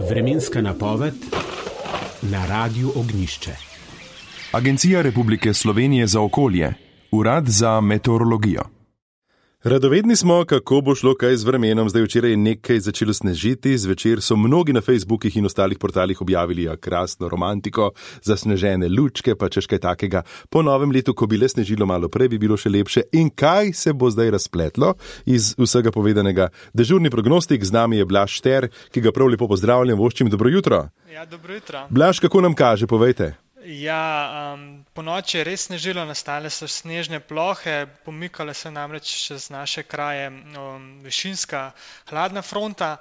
Vremenska napoved na Radiu Ognjišče. Agencija Republike Slovenije za okolje, Urad za meteorologijo. Radovedni smo, kako bo šlo kaj z vremenom. Zdaj včeraj je nekaj začelo snežiti, zvečer so mnogi na Facebookih in ostalih portalih objavili krasno romantiko, zasnežene lučke, pa češ kaj takega. Po novem letu, ko bi le snežilo malo prej, bi bilo še lepše. In kaj se bo zdaj razpletlo iz vsega povedanega? Dežurni prognostik, z nami je Blaž Šter, ki ga prav lepo pozdravljam, voščim dobro jutro. Ja, dobro jutro. Blaž, kako nam kaže, povejte? Ja, po noči je res snežilo, nastale so snežne plohe, pomikale se namreč čez naše kraje višinska hladna fronta,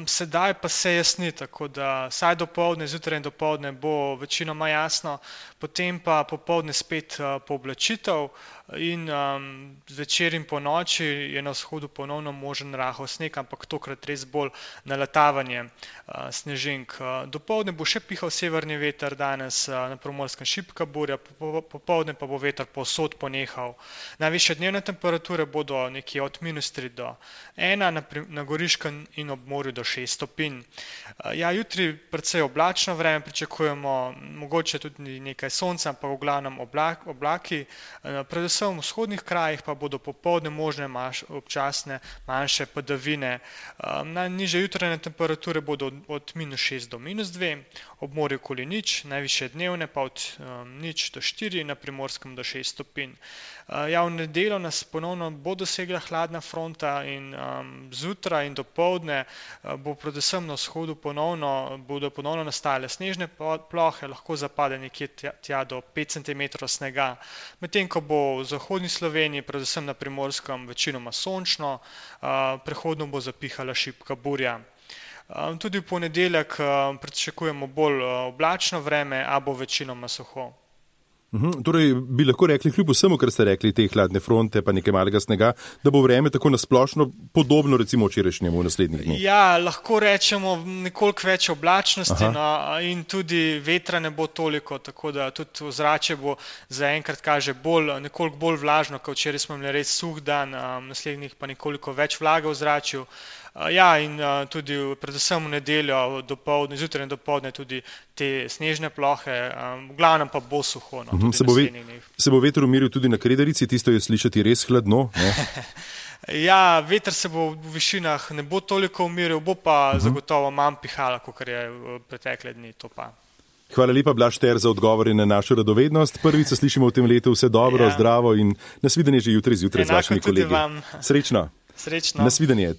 sedaj pa se jasni, tako da vsaj dopoldne, zjutraj in dopoldne bo večinoma jasno, potem pa popoldne spet pooblačitev in zvečer in po noči je na vzhodu ponovno možen rahel sneg, ampak tokrat res bolj naletavanje snežink. Dopoldne bo še pihal severni veter, danes na Primorskem šibka burja, popoldne pa bo veter povsod ponehal. Najvišje dnevne temperature bodo nekje od -3 do 1, na Goriškem in ob morju do 6 stopinj. Ja, jutri precej oblačno vreme pričakujemo, mogoče tudi nekaj sonca, ampak v glavnem oblaki. Predvsem v vzhodnih krajih pa bodo popoldne možne občasne manjše padavine. Najnižje jutranje temperature bodo od -6 do -2, ob morju okoli nič, najvišje dnevne pa od 0 do 4, na Primorskem do 6 stopinj. Ja, v nedeljo nas ponovno bo dosegla hladna fronta in zjutraj in dopoldne bo predvsem na vzhodu bodo ponovno nastale snežne plohe, lahko zapade nekje tja do 5 cm snega, medtem ko bo v zahodni Sloveniji, predvsem na Primorskem, večinoma sončno, prehodno bo zapihala šibka burja. Tudi v ponedeljek pričakujemo bolj oblačno vreme, a bo večinoma suho. Torej, bi lahko rekli, kljub vsemu, kar ste rekli, te hladne fronte, pa nekaj malega snega, da bo vreme tako nasplošno podobno recimo včerajšnjemu v naslednjih dneh? Ja, lahko rečemo nekoliko več oblačnosti, in tudi vetra ne bo toliko, tako da tudi ozračje bo zaenkrat kaže nekoliko bolj vlažno, kot včeraj smo imeli res suh dan, naslednjih pa nekoliko več vlage v ozračju. Ja, in tudi predvsem v nedeljo dopoldne, zjutraj in dopoldne tudi te snežne plohe, v glavnem pa bo suho. Se bo veter umiril tudi na Kredarici, tisto je slišati res hladno, ne? Ja, veter se bo v višinah ne bo toliko umiril, bo pa zagotovo manj pihala, kot je v pretekle dni, to pa. Hvala lepa, Blaž Šter, za odgovore na našo radovednost. Prvič se slišimo v tem letu, vse dobro, zdravo in nasvidenje že jutri zjutraj z vašimi kolegi. Enako tudi vam. Srečno. Srečno. Nasvidenje.